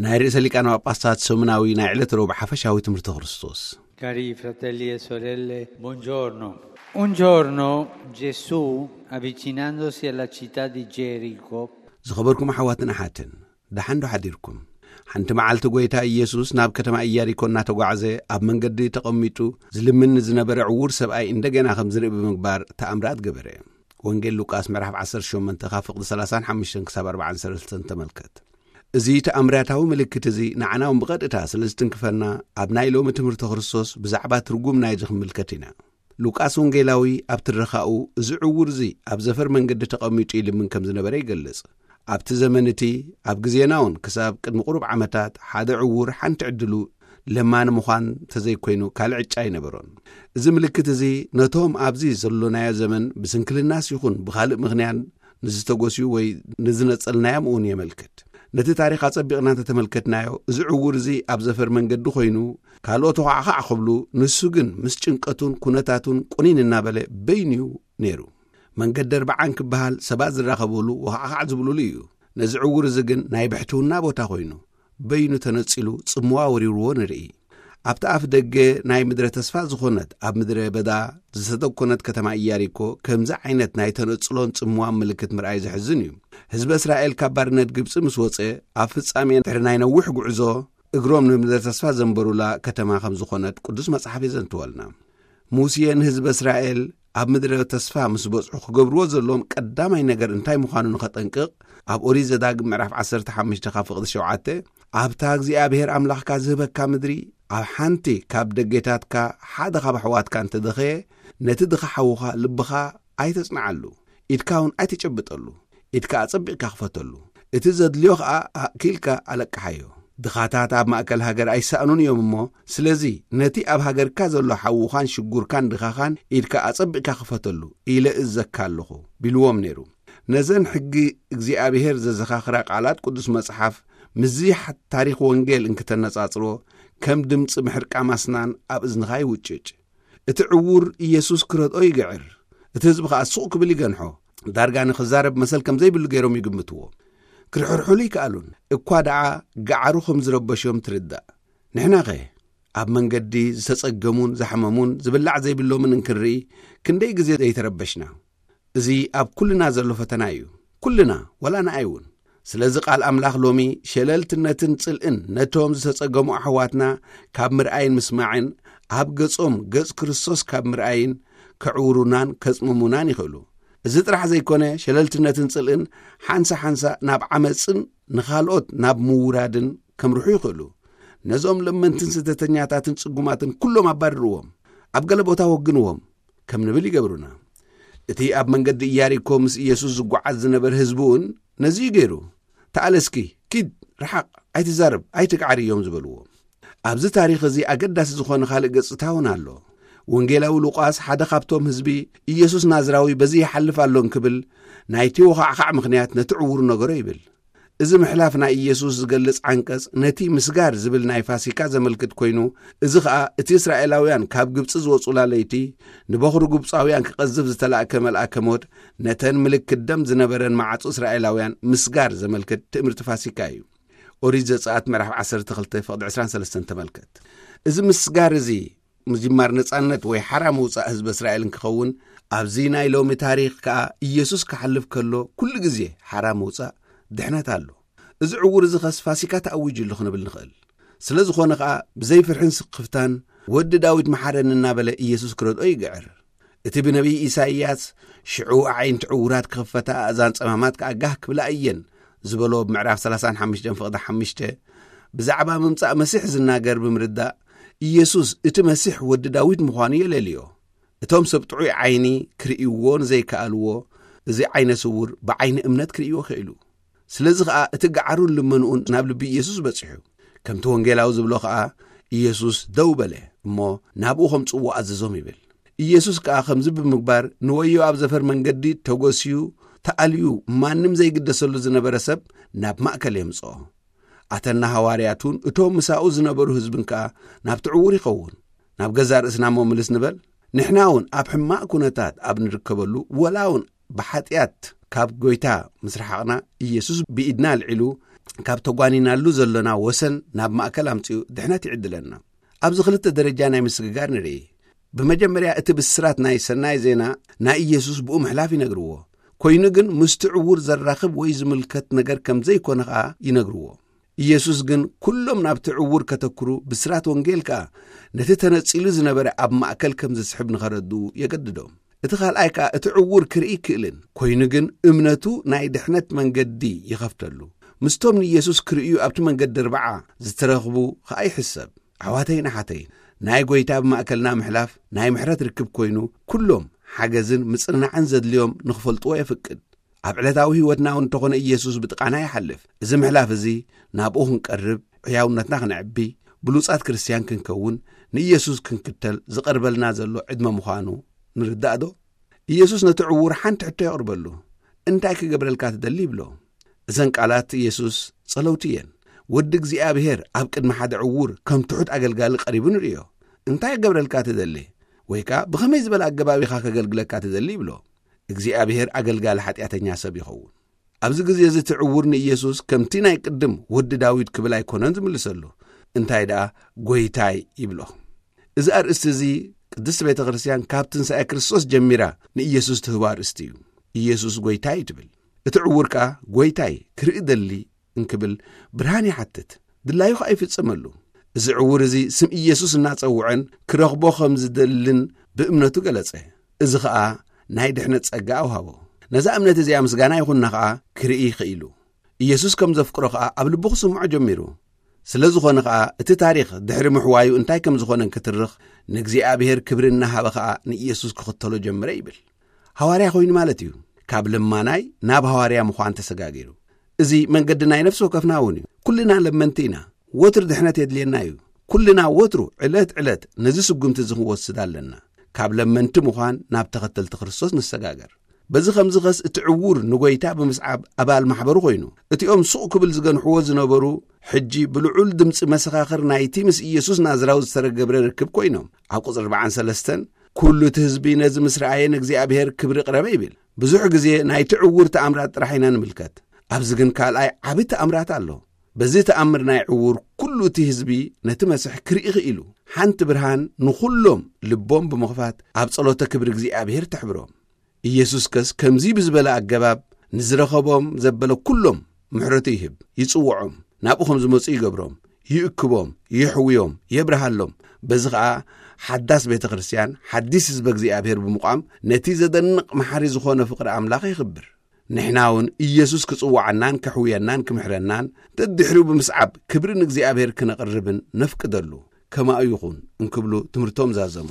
ናይ ርእሰ ሊቃነ ጳጳሳት ሰሙናዊ ናይ ዕለት ረቡዕ ሓፈሻዊ ትምህርቲ ክርስቶስ። Cari fratelli e sorelle, buongiorno. Un giorno Gesù, avvicinandosi alla città di Gerico, ዝኸበርኩም ኣሕዋትን ኣሓትን፣ ደሓን ዶ ሓዲርኩም? ሓንቲ መዓልቲ ጎይታ ኢየሱስ ናብ ከተማ ኢያሪኮ እናተጓዕዘ ኣብ መንገዲ ተቐሚጡ ዝልምን ዝነበረ ዕዉር ሰብኣይ እንደገና ከም ዝርኢ ብምግባር ተኣምራት ገበረ። ወንጌል ሉቃስ ምዕራፍ ዓሰርተ ሸሞንተ ካብ ፍቕዲ ሰላሳን ሓሙሽተን ክሳብ ኣርባዓን ሰለስተን ተመልከት። እዚ ተኣምራታዊ ምልክት እዚ ንዓና እውን ብቐጥታ ስለ ዝትንክፈና፣ ኣብ ናይ ሎሚ ትምህርቲ ክርስቶስ ብዛዕባ ትርጉም ናይዚ ክንምልከት ኢና። ሉቃስ ወንጌላዊ ኣብ ትረኻኡ፣ እዚ ዕዉር እዚ ኣብ ዘፈር መንገዲ ተቐሚጡ ይልምን ከም ዝነበረ ይገልጽ። ኣብቲ ዘመን እቲ፣ ኣብ ግዜና እውን ክሳብ ቅድሚ ቁሩብ ዓመታት ሓደ ዕዉር ሓንቲ ዕድሉ ለማኒ ምዃን ተዘይኮይኑ ካልእ ዕጫ ኣይነበሮን። እዚ ምልክት እዚ ነቶም ኣብዚ ዘሎናዮ ዘመን ብስንክልናስ ይኹን ብኻልእ ምኽንያት ንዝተጎስዩ ወይ ንዝነጸልናዮም እውን የመልክት። ነቲ ታሪኽ ኣጸቢቕና እንተተመልከትናዮ፣ እዚ ዕዉር እዚ ኣብ ዘፈር መንገዲ ኮይኑ ካልኦት ተዃዕኻዕ ክብሉ፣ ንሱ ግን ምስ ጭንቀቱን ኩነታቱን ቁኒን እናበለ በይኑ እዩ ነይሩ። መንገዲ ኣርብዓን ክበሃል ሰባት ዝራኸብሉ ወኻዕኻዕ ዝብሉሉ እዩ። ነዚ ዕዉር እዚ ግን ናይ ብሕትውና ቦታ ኮይኑ በይኑ ተነጺሉ ጽምዋ ወሪርዎ ንርኢ። ኣብቲ ኣፍ ደገ ናይ ምድረ ተስፋ ዝኾነት ኣብ ምድረ በዳ ዝተደኮነት ከተማ ኢያሪኮ ከምዚ ዓይነት ናይ ተነጽሎን ጽምዋን ምልክት ምርኣይ ዘሕዝን እዩ። ህዝበ እስራኤል ካብ ባርነት ግብጺ ምስ ወጸ ኣብ ፍጻሜ ድሕሪ ናይ ነዊሕ ጉዕዞ እግሮም ንምድረ ተስፋ ዘንበሩላ ከተማ ከም ዝኾነት ቅዱስ መጽሓፍ የዘንትወልና። ሙሴ ንህዝበ እስራኤል ኣብ ምድረ ተስፋ ምስ በጽሑ ክገብርዎ ዘለዎም ቀዳማይ ነገር እንታይ ምዃኑ ንኸጠንቅቕ ኣብ ኦሪት ዘዳግም ምዕራፍ ዓሰርተ ሓሙሽተ ካብ ፍቕዲ ሸውዓተ፣ ኣብታ እግዚኣብሔር ኣምላኽካ ዝህበካ ምድሪ ኣብ ሓንቲ ካብ ደጌታትካ ሓደ ካብ ኣሕዋትካ እንተደኸየ፣ ነቲ ድኻ ሓውኻ ልብኻ ኣይተጽንዓሉ፣ ኢድካ እውን ኣይትጨብጠሉ፣ ኢድካ ኣጸቢቕካ ክፈተሉ፣ እቲ ዘድልዮ ኸኣ ኣእኪልካ ኣለቅሓዮ። ድኻታት ኣብ ማእከል ሃገር ኣይሰኣኑን እዮም እሞ፣ ስለዚ ነቲ ኣብ ሃገርካ ዘሎ ሓውኻን ሽጉርካን ድኻኻን ኢድካ ኣጸቢቕካ ክፈተሉ ኢለ እዘካ ኣለኹ ቢልዎም ነይሩ። ነዘን ሕጊ እግዚኣብሔር ዘዘኻኽራ ቃላት ቅዱስ መጽሓፍ ምስዚ ሓ-፣ ታሪኽ ወንጌል እንክተነጻጽሮ፣ ከም ድምጺ ምሕርቃም ኣስናን ኣብ እዝንኻ ይውጭጭ። እቲ ዕዉር ኢየሱስ ክረድኦ ይግዕር። እቲ ህዝቢ ኸኣ ሱቕ ክብል ይገንሖ። ዳርጋ ንኽዛረብ መሰል ከም ዘይብሉ ገይሮም ይግምትዎ። ክርሕርሕሉ ይከኣሉን። እኳ ደኣ ገዓሩ ከም ዝረበሾም ትርዳእ። ንሕናኸ ኣብ መንገዲ ዝተጸገሙን ዝሓመሙን ዝብላዕ ዘይብሎምን እንክንርኢ ክንደይ ግዜ ዘይተረበሽና? እዚ ኣብ ኩልና ዘሎ ፈተና እዩ። ኩልና፣ ወላ ንኣይ እውን። ስለዚ ቃል ኣምላኽ ሎሚ ሸለልትነትን ጽልእን ነቶም ዝተጸገሙ ኣሕዋትና ካብ ምርኣይን ምስማዕን፣ ኣብ ገጾም ገጽ ክርስቶስ ካብ ምርኣይን ከዕውሩናን ከጽምሙናን ይኽእሉ። እዚ ጥራሕ ዘይኮነ፣ ሸለልትነትን ጽልእን ሓንሳ ሓንሳ ናብ ዓመጽን ንኻልኦት ናብ ምውራድን ከምርሑ ይኽእሉ። ነዞም ለመንትን ስደተኛታትን ጽጉማትን ኩሎም ኣባርርዎም፣ ኣብ ገለ ቦታ ወግንዎም ከም ንብል ይገብሩና። እቲ ኣብ መንገዲ ኢያሪኮ ምስ ኢየሱስ ዝጓዓዝ ዝነበረ ህዝቢ እውን ነዚ እዩ ገይሩ። "ተኣለ እስኪ፣ ኪድ፣ ርሓቕ፣ ኣይትዛረብ፣ ኣይትግዓር" እዮም ዝበልዎ። ኣብዚ ታሪኽ እዚ ኣገዳሲ ዝኾነ ካልእ ገጽታ እውን ኣሎ። ወንጌላዊ ሉቃስ ሓደ ካብቶም ህዝቢ፣ "ኢየሱስ ናዝራዊ በዚ ይሓልፍ ኣሎ" እንክብል፣ ናይቲ ወኻዕኻዕ ምኽንያት ነቲ ዕዉር ነገሮ ይብል። እዚ ምሕላፍ ናይ ኢየሱስ ዝገልጽ ዓንቀጽ ነቲ ምስጋር ዝብል ናይ ፋሲካ ዘመልክት ኮይኑ፣ እዚ ኸኣ እቲ እስራኤላውያን ካብ ግብጺ ዝወጹላ ለይቲ፣ ንበኹሪ ግብጻውያን ክቐዝፍ ዝተላእከ መልኣከ ሞት፣ ነተን ምልክት ደም ዝነበረን መዓጹ እስራኤላውያን ምስጋር ዘመልክት ትእምርቲ ፋሲካ እዩ። ኦሪት ዘጸኣት ምዕራፍ ዓሰርተ ክልተ ፍቕዲ ዕስራን ሰለስተን ተመልከት። እዚ ምስጋር እዚ ምጅማር ነጻነት ወይ ሓራ ምውጻእ ህዝቢ እስራኤል እንክኸውን፣ ኣብዚ ናይ ሎሚ ታሪኽ ከኣ ኢየሱስ ክሓልፍ ከሎ ኩሉ ግዜ ሓራ ምውጻእ ድሕነት ኣሎ። እዚ ዕዉር እዚ ኸስ ፋሲካ ተኣዊጁ ኣሎ ክንብል ንኽእል። ስለ ዝኾነ ኸኣ ብዘይ ፍርሕን ስክፍታን "ወዲ ዳዊት መሓረኒ" እናበለ ኢየሱስ ክረድኦ ይግዕር። እቲ ብነቢይ ኢሳይያስ "ሽዑ ኣዒንቲ ዕዉራት ክኽፈታ፣ ኣእዛን ጸማማት ከኣ ጋህ ክብላ እየን" ዝበሎ ኣብ ምዕራፍ ሰላሳን ሓሙሽተን ፍቕዲ ሓሙሽተ ብዛዕባ ምምጻእ መሲሕ ዝናገር ብምርዳእ፣ ኢየሱስ እቲ መሲሕ ወዲ ዳዊት ምዃኑ የለልዮ። እቶም ሰብ ጥዑይ ዓይኒ ክርእይዎ ንዘይከኣልዎ፣ እዚ ዓይነ ስውር ብዓይኒ እምነት ክርእይዎ ክኢሉ። ስለዚ ኸኣ እቲ ገዓሩን ልመንኡን ናብ ልቢ ኢየሱስ በጺሑ። ከምቲ ወንጌላዊ ዝብሎ ኸኣ፣ ኢየሱስ ደው በለ እሞ ናብኡ ከምጽእዎ ኣዘዞም ይብል። ኢየሱስ ከኣ ከምዚ ብምግባር ንወዮ ኣብ ዘፈር መንገዲ ተጎስዩ ተኣልዩ ማንም ዘይግደሰሉ ዝነበረ ሰብ ናብ ማእከል የምጽኦ። ኣተና ሃዋርያቱን እቶም ምሳኡ ዝነበሩ ህዝብን ከኣ ናብቲ ዕዉር ይኸውን። "ናብ ገዛእ ርእስና እሞ ምልስ ንበል። ንሕና እውን ኣብ ሕማቕ ኩነታት ኣብ ንርከበሉ፣ ወላ እውን ብሓጢኣት ካብ ጎይታ ምስ ረሓቕና፣ ኢየሱስ ብኢድና ኣልዒሉ ካብ ተጓኒናሉ ዘሎና ወሰን ናብ ማእከል ኣምጺኡ ድሕነት ይዕድለና። ኣብዚ ክልተ ደረጃ ናይ ምስግጋር ንርኢ። ብመጀመርያ እቲ ብስራት ናይ ሰናይ ዜና ናይ ኢየሱስ ብኡ ምሕላፍ ይነግርዎ። ኮይኑ ግን ምስቲ ዕዉር ዘራኽብ ወይ ዝምልከት ነገር ከም ዘይኮነ ኸኣ ይነግርዎ። ኢየሱስ ግን ኩሎም ናብቲ ዕዉር ከተክሩ ብስራት ወንጌል ከኣ ነቲ ተነጺሉ ዝነበረ ኣብ ማእከል ከም ዝስሕብ ንኸረድኡ የገድዶም። እቲ ካልኣይ ከኣ እቲ ዕዉር ክርኢ ይክእልን ኮይኑ ግን እምነቱ ናይ ድሕነት መንገዲ ይኸፍተሉ። ምስቶም ንኢየሱስ ክርእዩ ኣብቲ መንገዲ ርብዓ ዝተረኽቡ ኸኣ ይሕሰብ። ኣሕዋተይን ኣሓተይን ናይ ጐይታ ብማእከልና ምሕላፍ ናይ ምሕረት ርክብ ኮይኑ ኩሎም ሓገዝን ምጽንናዕን ዘድልዮም ንኽፈልጥዎ የፍቅድ። ኣብ ዕለታዊ ህይወትና እውን እንተኾነ ኢየሱስ ብጥቓና ይሓልፍ። እዚ ምሕላፍ እዚ ናብኡ ክንቀርብ፣ ሕያውነትና ክነዕቢ፣ ብሉጻት ክርስትያን ክንከውን፣ ንኢየሱስ ክንክተል ዝቐርበልና ዘሎ ዕድመ ምዃኑ ንርዳእ ዶ? ኢየሱስ ነቲ ዕዉር ሓንቲ ሕቶ የቕርበሉ። እንታይ ክገብረልካ ትደሊ ይብሎ። እዘን ቃላት ኢየሱስ ጸለውቲ እየን። ወዲ እግዚኣብሔር ኣብ ቅድሚ ሓደ ዕዉር ከም ትሑት ኣገልጋሊ ቀሪቡ ንርእዮ። እንታይ ክገብረልካ ትደሊ? ወይ ከኣ ብኸመይ ዝበለ ኣገባብ ኢኻ ከገልግለካ ትደሊ ይብሎ። እግዚኣብሔር ኣገልጋሊ ሓጢኣተኛ ሰብ ይኸውን። ኣብዚ ግዜ እዚ እቲ ዕዉር ንኢየሱስ ከምቲ ናይ ቅድም ወዲ ዳዊት ክብል ኣይኮነን ዝምልሰሉ። እንታይ ደኣ ጐይታይ ይብሎ። እዚ ኣርእስቲ እዚ ቅድስቲ ቤተ ክርስትያን ካብ ትንሳኤ ክርስቶስ ጀሚራ ንኢየሱስ ትህቦ ኣርእስቲ እዩ። ኢየሱስ ጐይታይ እዩ ትብል። እቲ ዕዉር ከኣ ጐይታይ ክርኢ ደሊ እንክብል ብርሃን ይሓትት። ድላዩ ኸኣ ይፍጸመሉ። እዚ ዕዉር እዚ ስም ኢየሱስ እናጸውዐን ክረኽቦ ከም ዝደልን ብእምነቱ ገለጸ። እዚ ኸኣ ናይ ድሕነት ጸጋ ኣውሃቦ። ነዛ እምነት እዚኣ ምስጋና ይኹንና ኸኣ ክርኢ ኽኢሉ። ኢየሱስ ከም ዘፍቅሮ ኸኣ ኣብ ልቡ ክስምዖ ጀሚሩ። ስለ ዝኾነ ኸኣ እቲ ታሪኽ ድሕሪ ምሕዋዩ እንታይ ከም ዝኾነ እንክትርኽ ንእግዚኣብሔር ክብሪ እናሃበ ኸኣ ንኢየሱስ ክኽተሎ ጀመረ ይብል። ሃዋርያ ኮይኑ ማለት እዩ። ካብ ለማናይ ናብ ሃዋርያ ምዃን ተሰጋጊሩ። እዚ መንገዲ ናይ ነፍሲ ወከፍና እውን እዩ። ኩልና ለመንቲ ኢና። ወትሩ ድሕነት የድልየና እዩ። ኩልና ወትሩ ዕለት ዕለት ነዚ ስጉምቲ እዚ ክንወስድ ኣለና። ካብ ለመንቲ ምዃን ናብ ተኸተልቲ ክርስቶስ ንሰጋገር። በዚ ኸምዚ ኸስ እቲ ዕዉር ንጐይታ ብምስዓብ ኣባል ማሕበሩ ኾይኑ፣ እቲኦም ሱቕ ክብል ዝገንሕዎ ዝነበሩ ሕጂ ብልዑል ድምጺ መሰኻኽር ናይቲ ምስ ኢየሱስ ናዝራዊ ዝተረገብረ ርክብ ኮይኖም። ኣብ ቁጽሪ ኣርባዓን ሰለስተን ኩሉ እቲ ህዝቢ ነዚ ምስ ረኣየ ንእግዚኣብሔር ክብሪ ቅረበ ይብል። ብዙሕ ግዜ ናይቲ ዕዉር ተኣምራት ጥራሕ ኢና ንምልከት። ኣብዚ ግን ካልኣይ ዓቢ ተኣምራት ኣሎ። በዚ ተኣምር ናይ ዕዉር ኩሉ እቲ ህዝቢ ነቲ መስሕ ክርኢ ኽኢሉ። ሓንቲ ብርሃን ንኹሎም ልቦም ብምኽፋት ኣብ ጸሎተ ክብሪ እግዚኣብሔር ተሕብሮም። ኢየሱስ ከስ ከምዚ ብዝበለ ኣገባብ ንዝረኸቦም ዘበለ ኩሎም ምሕረቱ ይህብ፣ ይጽውዖም፣ ናብኡ ከም ዝመጹ ይገብሮም፣ ይእክቦም፣ የሕውዮም፣ የብርሃሎም። በዚ ኸኣ ሓዳስ ቤተ ክርስትያን፣ ሓዲስ ህዝበ እግዚኣብሔር ብምቋም ነቲ ዘደንቕ መሓሪ ዝኾነ ፍቕሪ ኣምላኽ የኽብር። ንሕና እውን ኢየሱስ ክጽውዓናን ከሕውየናን ክምሕረናን ደድሕሪኡ ብምስዓብ ክብሪ ንእግዚኣብሔር ክነቕርብን ነፍቅደሉ። ከማኡ ይኹን እንክብሉ ትምህርቶም ዛዘሙ።